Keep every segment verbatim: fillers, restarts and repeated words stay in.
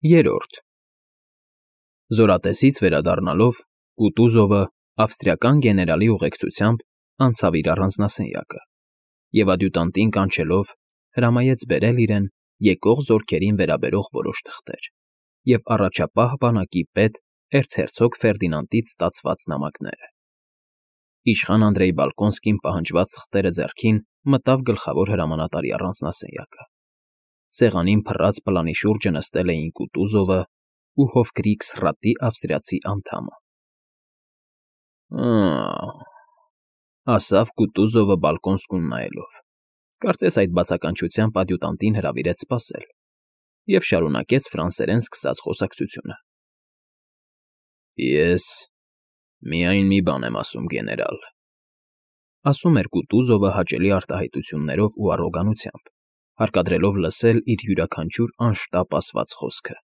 Երրորդ Զորատեսից վերադառնալով Կուտուզովը ավստրիական գեներալի ուղեկցությամբ անցավ իր առանձնասենյակը և ադյուտանտին կանչելով հրամայեց բերել իրեն եկող զորքերին վերաբերող որոշ թղթեր և առաջապահ բանակի պետ էրցհերցոգ Ֆերդինանդից ստացված նամակները։ Իշխան Անդրեյ Բալկոնսկին պահանջված թղթերը ձեռքին մտավ գլխավոր հրամանատարի առանձնասենյակը։ Սեղանին փռած պլանի շուրջը նստել էին Կուտուզովը ու Հոֆկրիգսրատի ավստրիացի անդամը։ Ա՜, ասավ Կուտուզովը Բալկոնսկուն նայելով, կարծես այդ բացականչությամբ ադյուտանտին հրավիրեց սպասել, և շարունակեց ֆրանսերեն սկսած խոսակցությունը։ Ես միայն մի բան եմ ասում, գեներալ, ասում էր Կուտուզովը հաճելի արտահայտություններով ու առոգանությամբ, հարկադրելով լսել իր յուրաքանչյուր անշտապ ասված խոսքը։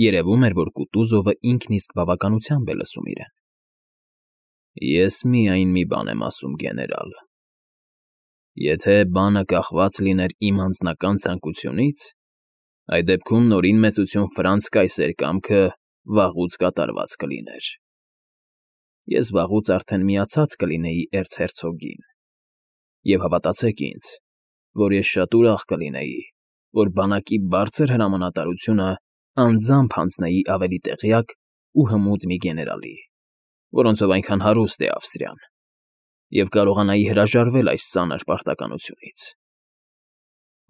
Երևում էր, որ Կուտուզովը ինքն իսկ բավականությամբ է լսում իրեն։ Ես միայն մի բան եմ ասում, գեներալ. եթե բանը կախված լիներ իմ անձնական ցանկությունից, այդ դեպքում Նորին Մեծություն Ֆրանց կայսեր կամքը վաղուց կատարված կլիներ։ Ես վաղուց արդեն միացած կլինեի էրցհերցոգին, և հավատացեք ինձ, որ ես շատ ուրախ կլինեի, որ բանակի բարձր հրամանատարությունը անձամբ հանձնեի ավելի տեղյակ ու հմուտ մի գեներալի, որոնցով այնքան հարուստ է Ավստրիան, և կարողանայի հրաժարվել այս ծանր պարտականությունից։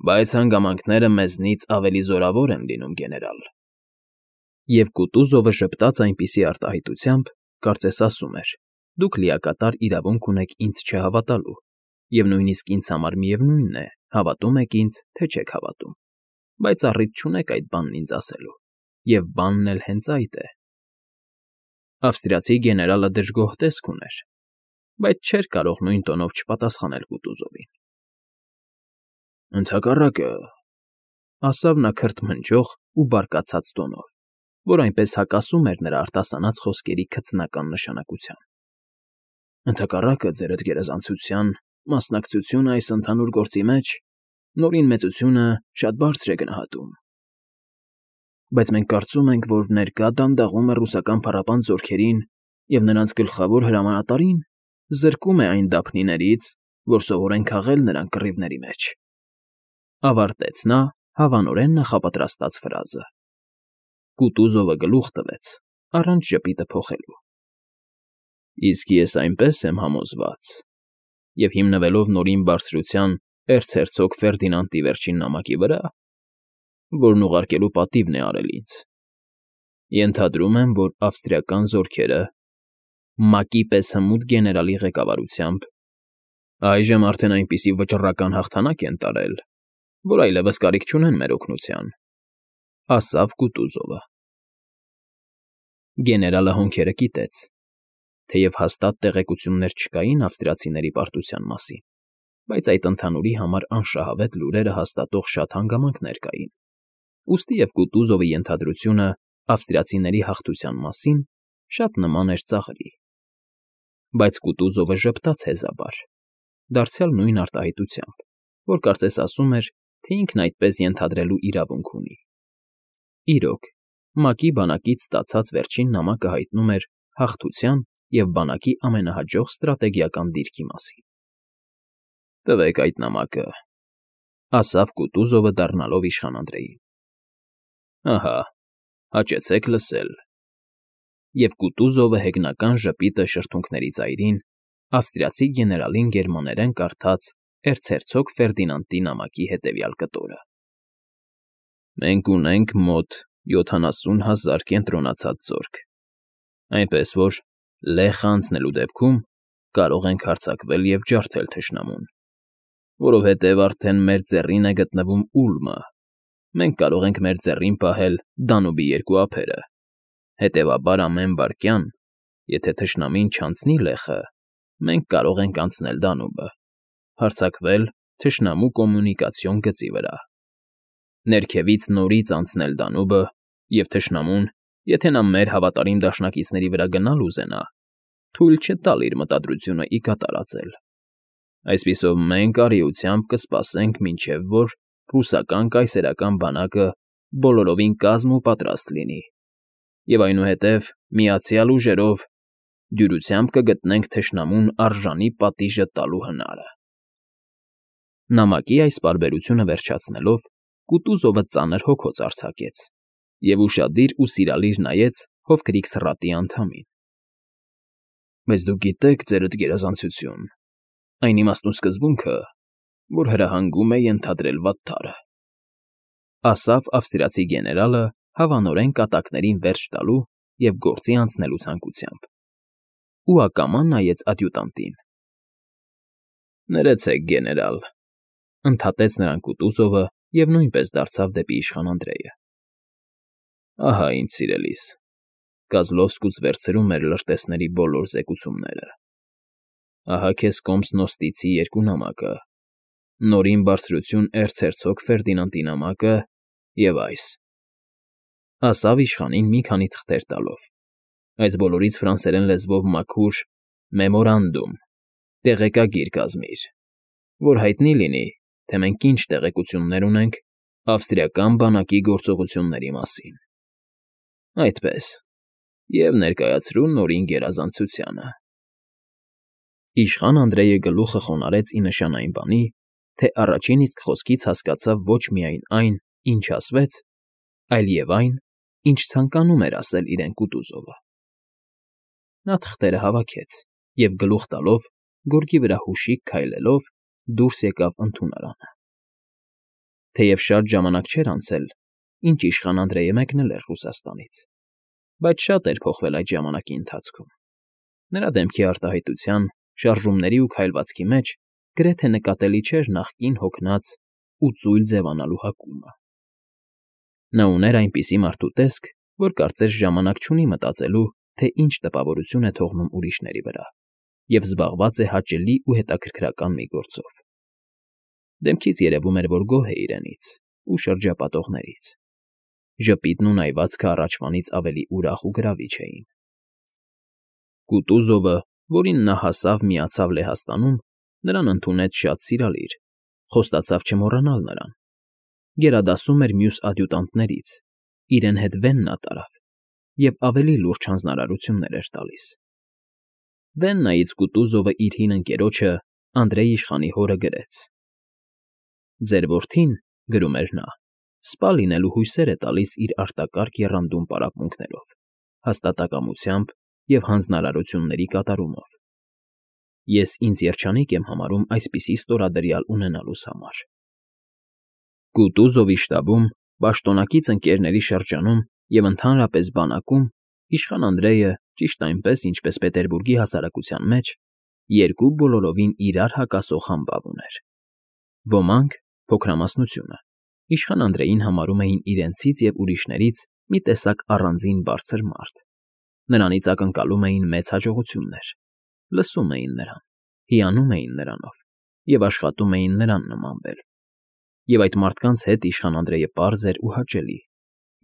Բայց հանգամանքները մեզնից ավելի զորավոր են լինում, գեներալ։ Եվ Կուտուզովը ժպտաց այնպիսի արտահայտությամբ, կարծես ասում էր. դուք լիակատար իրավունք ունեք ինձ չհավատալու, և նույնիսկ ինձ համար միևնույն է, հավատում եք ինձ, թե չեք հավատում, բայց առիթ չունեք այդ բանն ինձ ասելու, և բանն էլ հենց այդ է։ Ավստրիացի գեներալը դժգոհ տեսք ուներ, բայց չէր կարող նույն տոնով չպատասխանել Կուտուզովին։ Ընդհակառակը, ասավ նա քրթմնջող ու բարկացած տոնով, որ այնպես հակասում էր նրա արտասանած խոսքերի քծնական նշանակության։ Ընդհակառակը, ձերդ գերազանցության մասնակցությունը այս ընդհանուր գործի մեջ Նորին Մեծությունը շատ բարձր է գնահատում։ Բայց մենք կարծում ենք, որ ներկա դանդաղումը ռուսական փառապանծ զորքերին և նրանց գլխավոր հրամանատարին զրկում է այն դափնիներից, որ սովոր են քաղել նրանք կռիվների մեջ, ավարտեց նա հավանորեն նախապատրաստած ֆրազը։ Կուտուզովը գլուխ տվեց, առանց ժպիտը փոխելու։ Իսկ ես այնպես եմ համոզված, և հիմնվելով Նորին Բարձրության էրցհերցոգ Ֆերդինանդի վերջին նամակի վրա, որն ուղարկելու պատիվն է արել ինձ, ենթադրում եմ, որ ավստրիական զորքերը ՄԱԿ-ի պես հմուտ գեներալի ղեկավարությամբ այժմ արդեն այնպիսի վճռական հաղթանակ են տարել, որ այլևս կարիք չունեն մեր օգնության, ասավ Կուտուզովը։ Գեներալը հոնքերը կիտեց, թեև հաստատ տեղեկություններ չկային ավստրիացիների պարտության մասին, բայց այդ ընդհանուրի համար անշահավետ լուրերը հաստատող շատ հանգամանքներ կային, ուստի և Կուտուզովի ենթադրությունը ավստրիացիների հաղթության մասին շատ նման էր ծաղրի։ Բայց Կուտուզովը ժպտաց հեզաբար, դարձյալ նույն արտահայտությամբ, որ կարծես ասում էր, թե ինքն այդպես ենթադրելու իրավունք ունի։ Իրոք, ՄԱԿ-ի բանակից ստացած վերջին նամակը հայտնում էր հաղթության և բանակի ամենահաջող ստրատեգիական դիրքի մասին։ Տվեք այդ նամակը, ասավ Կուտուզովը դառնալով իշխան Անդրեյին։ Ահա, հաճեցեք լսել։ Եվ Կուտուզովը հեգնական ժպիտը շրթունքների ծայրին ավստրիացի գեներալին գերմաներեն կարդաց էրցհերցոգ Ֆերդինանդի նամակի հետևյալ կտորը. Մենք ունենք մոտ յոթանասուն հազար կենտրոնացած զորք, այնպես որ լեխ անցնելու դեպքում կարող ենք հարձակվել և ջարդել թշնամուն, որովհետև արդեն մեր ձեռին է գտնվում Ուլմը, մենք կարող ենք մեր ձեռին պահել Դանուբի երկու ափերը, հետևաբար ամեն վայրկյան, եթե թշնամին չանցնի լեխը, մենք կարող ենք անցնել Դանուբը, հարձակվել թշնամու կոմունիկացիոն գծի վրա, ներքևից նորից անցնել Դանուբը և թշնամուն, եթե նա մեր հավատարիմ դաշնակիցների վրա գնալ ուզենա, թույլ չտալ իր մտադրությունը ի կատար ածել։ Այսպիսով մենք արիությամբ կսպասենք, մինչև որ ռուսական կայսերական բանակը բոլորովին կազմ ու պատրաստ լինի, և այնուհետև միացյալ ուժերով դյուրությամբ կգտնենք թշնամուն արժանի պատիժը տալու հնարը… Նամակի այս պարբերությունը վերջացնելով՝ Կուտուզովը ծանր հոգոց արձակեց և ուշադիր ու սիրալիր նայեց հովքրիկ սրատի անդամին։ ֊ Բայց դուք գիտեք, ձերդ գերազանցություն, այն իմաստուն սկզբունքը, որ հրահանգում է ենթադրել վատթարը,֊ ասավ ավստրիացի գեներալը հավանորեն կատակներին վերջ տալու և գործի անցնելու ցանկությամբ, ու ակամա նայեց ադյուտանտին։ ֊ Ներեցեք, գեներալ,֊ ընդհատեց նրան Կուտուզովը և նույնպես դարձավ դեպի իշխան Անդրեյը։ ֊ Ահա, ինչ սիրելիս, Կոզլովսկուց վերցրում էր լրտեսների բոլոր զեկուցումները, ահա քեզ Կոմսնոստիցի երկու նամակը, Նորին բարձրություն էրցհերցոգ Ֆերդինանդի նամակը և այս,֊ ասավ իշխանին մի քանի թղթեր տալով, այս բոլորից ֆրանսերեն լեզվով մաքուր «Մեմորանդում» տեղեկագիր կազմիր, որ հայտնի լինի, թե մենք ինչ տեղեկություններ ունենք ավստրիական բանակի գործողությունների մասին… Այդպես, և ներկայացրու Նորին գերազանցությանը… Իշխան Անդրեյը գլուխը խոնարհեց ի նշան այն բանի, թե առաջին իսկ խոսքից հասկացավ ոչ միայն այն, ինչ ասվեց, այլ և այն, ինչ ցանկանում էր ասել իրեն Կուտուզովը։ Նա թղթերը հավաքեց և, գլուխ տալով, գորգի վրա հուշիկ քայլելով, դուրս եկավ ընդունարանը։ Թեև շատ ժամանակ չէր անցել, ինչ իշխան Անդրեյը մեկնել էր Ռուսաստանից, բայց շատ էր փոխվել այդ ժամանակի ընթացքում. նրա դեմքի արտահայտության, շարժումների ու քայլվածքի մեջ գրեթե նկատելի չէր նախկին հոգնած ու ծույլ ձևանալու հակումը։ Նա ուներ այնպիսի մարդու տեսք, որ կարծես ժամանակ չունի մտածելու, թե ինչ տպավորություն է թողնում ուրիշների վրա, և զբաղված է հաճելի ու հետաքրքրական մի գործով։ Դեմքից երևում էր, որ գոհ է իրենից ու շրջապատողներից. ժպիտն ու նայվածքը առաջվանից ավելի ուրախ ու գրավիչ էին։ Կուտուզովը, որին նա հասավ֊միացավ Լեհաստանում, նրան ընդունեց շատ սիրալիր, խոստացավ չմոռանալ նրան, գերադասում էր մյուս ադյուտանտներից, իրեն հետ Վեննա տարավ և ավելի լուրջ հանձնարարություններ էր տալիս։ Վեննայից Կուտուզովը իր հին ընկերոջը՝ Անդրեյ իշխանի հորը գրեց. «Ձեր որդին, — գրում էր նա, — սպա լինելու հույսեր է տալիս իր արտակարգ եռանդուն պարապմունքներով, հաստատակամությամբ և հանձնարարությունների կատարումով։ Ես ինձ երջանիկ եմ համարում այսպիսի ստորադրյալ ունենալուս համար»։ Կուտուզովի շտաբում, պաշտոնակից ընկերների շրջանում և ընդհանրապես բանակում իշխան Անդրեյը, ճիշտ այնպես, ինչպես Պետերբուրգի հասարակության մեջ, երկու բոլորովին իրար հակասող համբավ ուներ. ոմանք, փոքրամասնությունը, իշխան Անդրեյին համարում էին իրենցից և ուրիշներից մի տեսակ առանձին բարձր մարդ, նրանից ակնկալում էին մեծ հաջողություններ, լսում էին նրան, հիանում էին նրանով և աշխատում էին նրան նմանվել, և այդ մարդկանց հետ իշխան Անդրեյը պարզ էր ու հաճելի,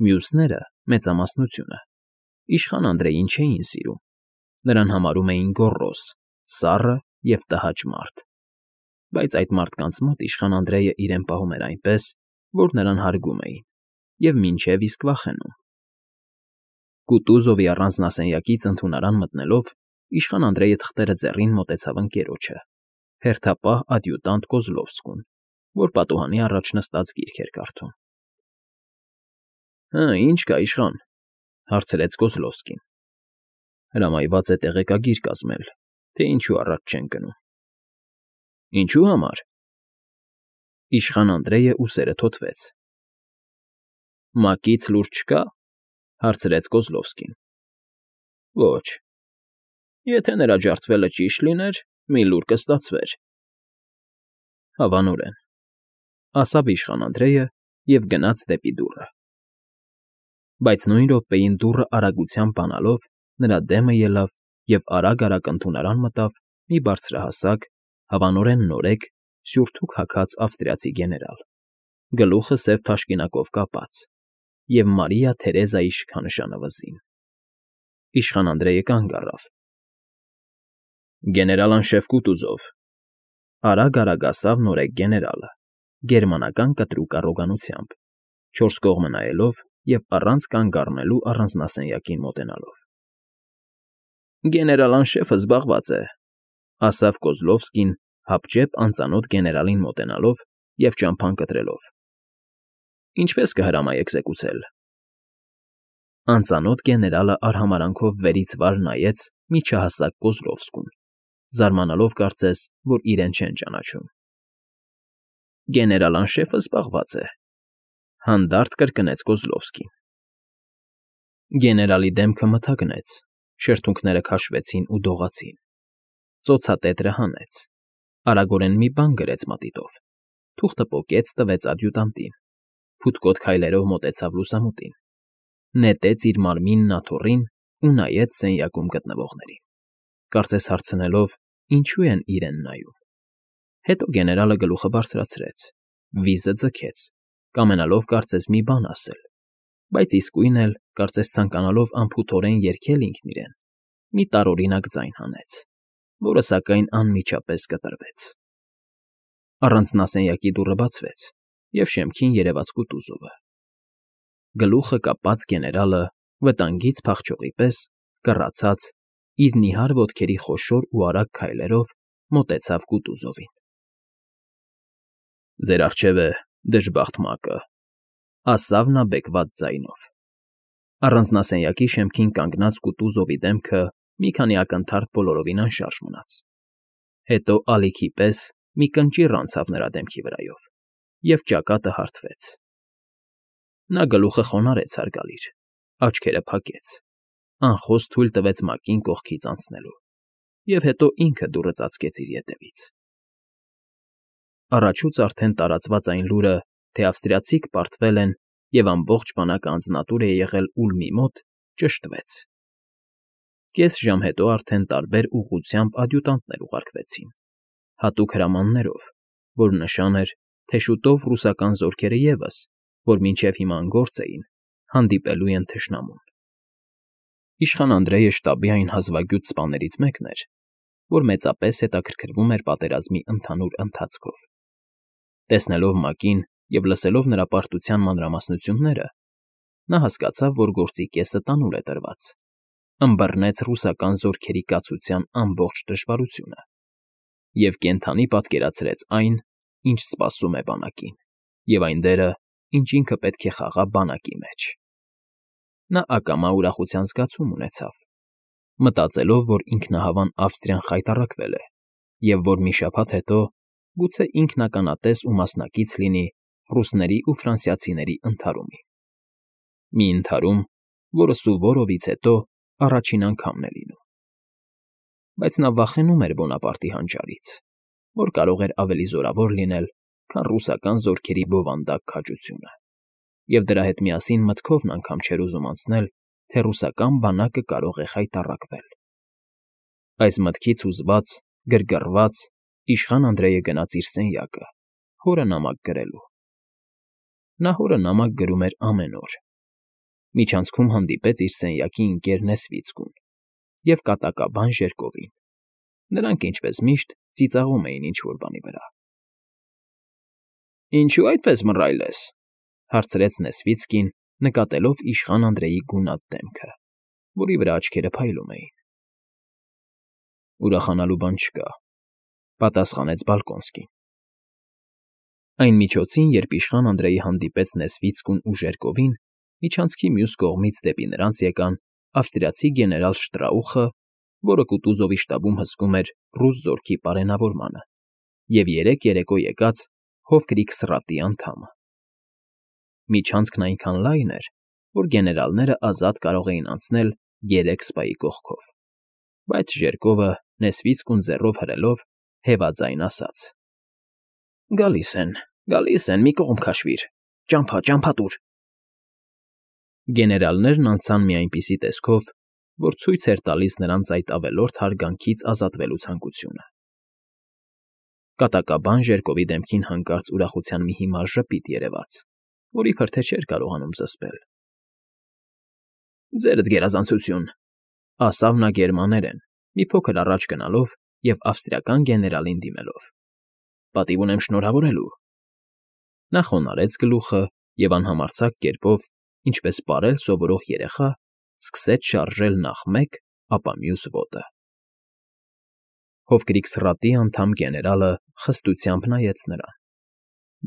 մյուսները՝ մեծամասնությունը, իշխան Անդրեյին չէին սիրում, նրան համարում էին գոռոզ, սառը և տհաճ մարդ, բայց այդ մարդկանց մոտ իշխան Անդրեյը իրեն պահում էր այնպես, որ նրան հարգում էին և մինչև իսկ վախենում։ Կուտուզովի առանձնասենյակից ընդունարան մտնելով՝ իշխան Անդրեյը թղթերը ձեռին մոտեցավ ընկերոջը, հերթապահ ադյուտանտ Կոզլովսկուն, որ պատուհանի առաջ նստած գիրք էր կարդում։ ֊ Հը, ի՞նչ կա, իշխան,֊ հարցրեց Կոզլովսկին։ ֊ Հրամայված է տեղեկագիր կազմել, թե ինչու առաջ չեն գնում։ ֊ Ինչո՞ւ համար։ Իշխան Անդրեյը ուսերը թոթվեց։ ֊ Մակից լուր չկա,֊ հարցրեց Կոզլովսկին։ ֊ Ոչ։ Եթե նրա ջարդվելը ճիշտ լիներ, մի լուր կստացվեր։ ֊ Հավանորեն,֊ ասավ իշխան Անդրեյը և գնաց դեպի դուռը։ Բայց նույն րոպեին դուռը արագությամբ բանալով նրա դեմը ելավ և արագ֊արագ ընդունարան մտավ մի բարձրահասակ, հավանորեն նորեկ, սյուրթուք հագած ավստրիացի գեներալ, գլուխը սև թաշկինակով կապած, և Մարիա Թերեզայի շքանշանը վզին։ Իշխան Անդրեյը կանգ առավ։ ֊ Գեներալ֊անշեֆ Կուտուզով,֊ արագ֊արագ ասավ նորեկ գեներալը, գերմանական կտրուկ առոգանությամբ, չորս կողմը նայելով և առանց կանգ առնելու առանձնասենյակին մոտենալով։ ֊ Գեներալ անշեֆը զբաղված է,֊ ասաց Կոզլովսկին, հապճեպ անծանոթ գեներալին մոտենալով և ճամփան կտրելով։ ֊ Ինչպե՞ս կհրամայեք զեկուցել։ Անծանոթ գեներալը արհամարհանքով վերից վար նայեց միջահասակ Կոզլովսկուն, զարմանալով կարծես, որ իրեն չեն ճանաչում։ ֊ Գեներալ անշեֆը զբաղված է,֊ հանդարտ կրկնեց Կոզլովսկին։ Գեներալի դեմքը մթագնեց, շրթունքները քաշվեցին ու դողացին, ծոցատետրը հանեց, արագորեն մի բան գրեց մատիտով, թուղթը պոկեց, տվեց ադյուտանտին, փութկոտ քայլերով մոտեցավ լուսամուտին, նետեց իր մարմինն աթոռին ու նայեց սենյակում գտնվողներին, կարծես հարցնելով. ինչու են իրեն նայում։ Հետո գեներալը գլուխը բարձրացրեց, վիզը ձգեց, կամենալով կարծես մի բան ասել, բայց իսկույն էլ, կարծես ցանկանալով անփութորեն երգել ինքն իրեն, մի տարօրինակ ձայն հանեց, որը, սակայն, անմիջապես կտրվեց։ Առանձնասենյակի դուռը բացվեց, և շեմքին երևաց Կուտուզովը։ Գլուխը կապած գեներալը, վտանգից փախչողի պես, կռացած, իր նիհար ոտքերի խոշոր ու արագ քայլերով մոտեցավ Կուտուզովին։ ֊ Ձեր առջև է դժբախտ մակը,֊ ասավ նա բեկված ձայնով։ Առանձնասենյակի շեմքին կանգնած Կուտուզովի դեմքը մի քանի ակնթարթ բոլորովին անշարժ մնաց, հետո ալիքի պես մի կնճիռ անցավ նրա դեմքի վրայով, և ճակատը հարթվեց։ Նա գլուխը խոնարհեց հարգալիր, աչքերը փակեց, անխոս թույլ տվեց մակին կողքից անցնելու, և հետո ինքը դուռը ծածկեց իր ետևից։ Առաջուց արդեն տարածված այն լուրը, թե ավստրիացիք պարտվել են և ամբողջ բանակը անձնատուր է եղել Ուլմի մոտ, ճշտվեց։ Կես ժամ հետո արդեն տարբեր ուղղությամբ ադյուտանտներ ուղարկվեցին, հատուկ հրամաններով, որ նշան էր, թե շուտով ռուսական զորքերը ևս, որ մինչև հիմա անգործ էին, հանդիպելու են թշնամուն։ Իշխան Անդրեյը շտաբի այն հազվագյուտ սպաներից մեկն էր, որ մեծապես հետաքրքրվում էր պատերազմի ընդհանուր ընթացքով։ Տեսնելով մակին և լսելով նրա պարտության մանրամասնությունները, նա հասկացավ, որ գործի կեսը տանուլ է տրված, ըմբռնեց ռուսական զորքերի կացության ամբողջ դժվարությունը և կենդանի պատկերացրեց այն, ինչ սպասում է բանակին, և այն դերը, ինչ ինքը պետք է խաղա բանակի մեջ։ Նա ակամա ուրախության զգացում ունեցավ, մտածելով, որ ինքնահավան Ավստրիան խայտառակվել է, և որ մի շաբաթ հետո գուցե ինքն ականատես ու մասնակից լինի ռուսների ու ֆրանսիացիների ընդհարումին։ Մի ընդհարում, որը Սուվորովից հետո առաջին անգամն է լինում։ Բայց նա վախենում էր Բոնապարտի հանճարից, որ կարող էր ավելի զորավոր լինել, քան ռուսական զորքերի բովանդակ քաջությունը, և դրա հետ միասին մտքովն անգամ չէր ուզում անցնել, թե ռուսական բանակը կարող է խայտառակվել։ Այս մտքից հուզված, գրգռված, իշխան Անդրեյը գնաց իր սենյակը, հորը նամակ գրելու։ Նա հորը նամակ գրում էր ամեն օր։ Միջանցքում հանդիպեց իր սենյակի ընկեր Նեսվիցկուն և կատակաբան Ժերկովին։ Նրանք, ինչպես միշտ, ծիծաղում էին ինչ֊որ բանի վրա։ ֊ Ինչո՞ւ այդպես մռայլ ես,֊ հարցրեց Նեսվիցկին, նկատելով իշխան Անդրեյի գունատ դեմքը, որի վրա աչքերը փայլում էին։ ֊ Ուրախանալու բան չկա,֊ պատասխանեց Բալկոնսկին։ Այն միջոցին, երբ իշխան Անդրեյը հանդիպեց Նեսվիցկուն ու Ժերկովին, միջանցքի մյուս կողմից դեպի նրանց եկան ավստրիացի գեներալ Շտրաուխը, որը Կուտուզովի շտաբում հսկում էր ռուս զորքի պարենավորմանը, և երեկ երեկո եկած Հովկրիկ սրատի անդամը։ Միջանցքն այնքան լայն էր, որ գեներալները ազատ կարող էին անցնել երեք սպայի կողքով, բայց Ժերկովը, Նեսվիցկուն ձեռով հրելով, հեվաձայն ասաց. «Գալիս են, գալիս են, մի կողմ քաշվիր, ճամփա, ճամփա տուր»։ Գեներալներն անցան մի այնպիսի տեսքով, որ ցույց էր տալիս նրանց այդ ավելորդ հարգանքից ազատվելու ցանկությունը։ Կատակաբան Ժերկովի դեմքին հանկարծ ուրախության մի հիմար ժպիտ երևաց, որ իբրև թե չէր կարողանում զսպել։ ֊ Ձերդ գերազանցություն,֊ ասավ նա գերմաներեն, մի փոքր առաջ գնալով և ավստրիական գեներալին դիմելով,֊ պատիվ ունեմ շնորհավորելու։ Նա խոնարհեց գլուխը և անհամարձակ կերպով, ինչպես պարել սովորող երեխա, սկսեց շարժել նախ մեկ, ապա մյուս ոտը։ Հովկրիքսրատի անդամ գեներալը խստությամբ նայեց նրան,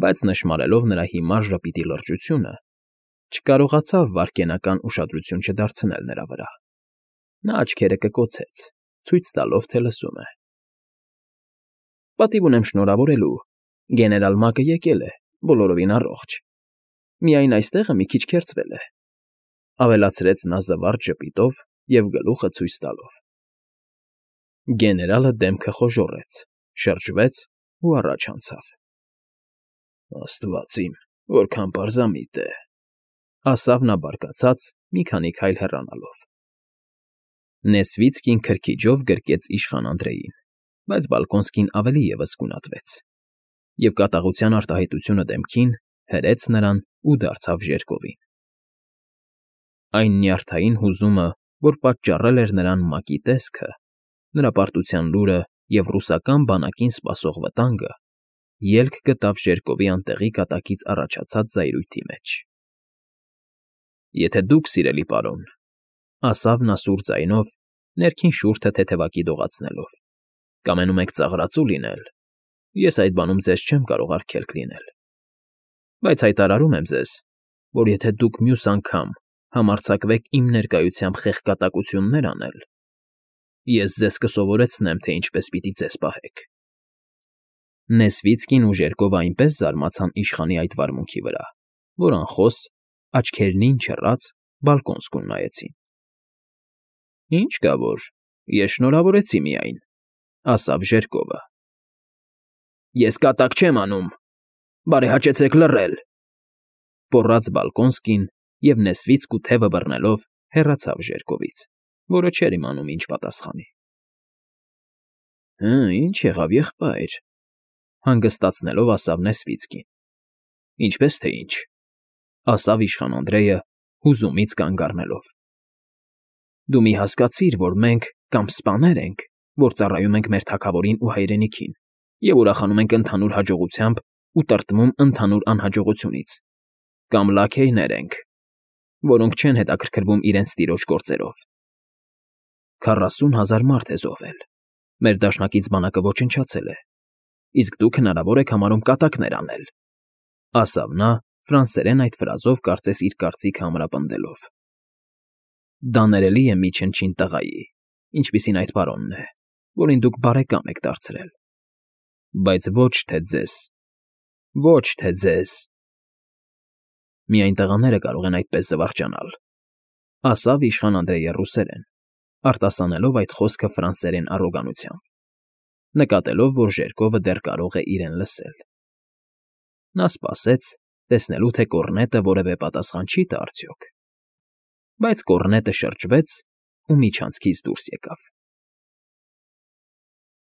բայց նշմարելով նրա հիմար ժպիտի լրջությունը, չկարողացավ վայրկենական ուշադրություն չդարձնել նրա վրա։ Նա աչքերը կկոցեց, ցույց տալով, թե լսում է։ ֊ Պատիվ ունեմ շնորհավորելու, գեներալ Մակը եկել է, բոլորովին առողջ, միայն այստեղը մի քիչ քերծվել է,֊ ավելացրեց նա զվարճ ժպիտով և գլուխը ցույց տալով։ Գեներալը դեմքը խոժոռեց, շրջվեց ու առաջ անցավ։ ֊ Աստված իմ, որքան պարզամիտ է,֊ ասավ նա բարկացած, մի քանի քայլ հեռանալով։ Նեսվիցկին քրքիջով գրկեց իշխան Անդրեին, բայց Բալկոնսկին ավելի ևս գունատվեց և կատաղության արտահայտությունը դեմքին հրեց նրան ու դարձավ ժերկովին։ Այն նյարդային հուզումը, որ պատճառել էր նրան Մակի տեսքը, նրա պարտության լուրը և ռուսական բանակին սպասող վտանգը ելք գտավ ժերկովի անտեղի կատակից առաջացած զայրույթի մեջ։ ֊ Եթե դուք, սիրելի պարոն,֊ ասավ նա սուր ձայնով, ներքին շուրջը թեթևակի դողացնելով,֊ կամենում եք ծաղրածու լինել, ես այդ բանում ձեզ չեմ կարող արգելք լինել, բայց հայտարարում եմ ձեզ, որ եթե դուք մյուս անգամ համարձակվեք իմ ներկայությամբ խեղկատակություններ անել, ես ձեզ կսովորեցնեմ, թե ինչպես պիտի ձեզ պահեք։ Նեսվիցկին ու Ժերկովը այնպես զարմացան իշխանի այդ վարմունքի վրա, որ անխոս, աչքերնին չռած, Բալկոնսկուն նայեցին։ ֊ Ինչ կա որ, ես շնորհավորեցի միայն,֊ ասավ Ժերկովը։ ֊ Ես կատակ չեմ անում, բարեհաճեցեք լռել,֊ գոռաց Բալկոնսկին և նեսվիցկու թևը բռնելով հեռացավ Ժերկովից, որը չէր իմանում ինչ պատասխանի։ ֊ Հը, ի՞նչ եղավ, եղբայր,֊ հանգստացնելով ասավ Նեսվիցկին։ ֊ Ինչպես թե ինչ,֊ ասավ իշխան Անդրեյը, հուզումից կանգ առնելով։ ֊ Դու մի հասկացիր, որ մենք կամ սպաներ ենք, որ ծառայում ենք մեր թագավորին ու հայրենիքին և ուրախանում ենք ընդհանուր հաջողությամբ ու տրտմում ընդհանուր անհաջողությունից, կամ լաքեյներ ենք, որոնք չեն հետաքրքրվում իրենց տիրոջ գործերով։ Քառասուն հազար մարդ է զոհվել, մեր դաշնակից բանակը ոչնչացել է, իսկ դուք հնարավոր եք համարում կատակներ անել,֊ ասավ նա ֆրանսերեն այդ ֆրազով կարծես իր կարծիքը ամրապնդելով։ Դա ներելի է մի չնչին տղայի, ինչպիսին այդ պարոնն է, որին դուք բարեկամ եք դարձրել, բայց ոչ թե ձեզ, ոչ թե ձեզ… Միայն տղաները կարող են այդպես զվարճանալ,֊ ասավ իշխան Անդրեյը ռուսերեն, արտասանելով այդ խոսքը ֆրանսերեն առոգանությամբ, նկատելով, որ Ժերկովը դեռ կարող է իրեն լսել։ Նա սպասեց, տեսնելու, թե կոռնետը որևէ պատասխան չի տա արդյոք, բայց կոռնետը շրջվեց ու միջանցքից դուրս եկավ։